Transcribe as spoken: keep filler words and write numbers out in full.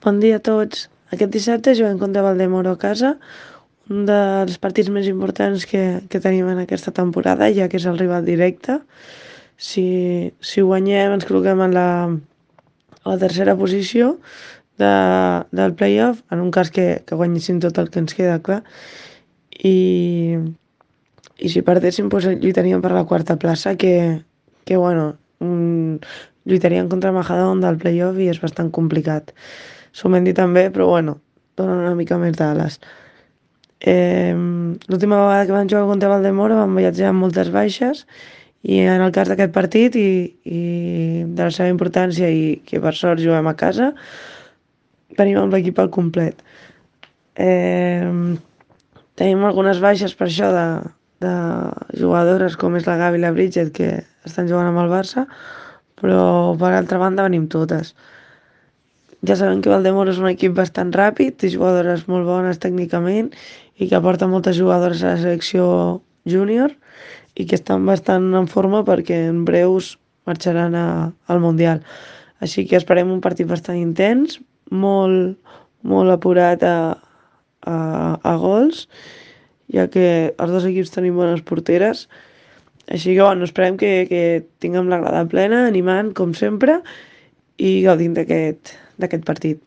Bon dia a tots. Aquest dissabte juguem contra Valdemoro a casa, un dels partits més importants que, que tenim en aquesta temporada, ja que és el rival directe. Si, si guanyem ens col·loquem en la, a la tercera posició de, del playoff, en un cas que, que guanyéssim tot el que ens queda clar. I, i si perdéssim, doncs lluitaríem per la quarta plaça, que, que bueno, un, lluitaríem contra Majadahonda del playoff i és bastant complicat. S'ho m'han dit també, però bueno, donen una mica més d'ales. Eh, L'última vegada que vam jugar contra Valdemoro vam viatjar amb moltes baixes i en el cas d'aquest partit i, i de la seva importància i que per sort juguem a casa, tenim amb l'equip al complet. Eh, Tenim algunes baixes per això de, de jugadores com és la Gavi i la Bridget que estan jugant amb el Barça, però per altra banda venim totes. Ja sabem que Valdemoro és un equip bastant ràpid, té jugadores molt bones tècnicament i que aporta moltes jugadores a la selecció júnior i que estan bastant en forma perquè en breus marxaran a, al Mundial. Així que esperem un partit bastant intens, molt, molt apurat a, a, a gols, ja que els dos equips tenim bones porteres. Així que bueno, esperem que, que tinguem la grada plena, animant com sempre i gaudint d'aquest d'aquest partit.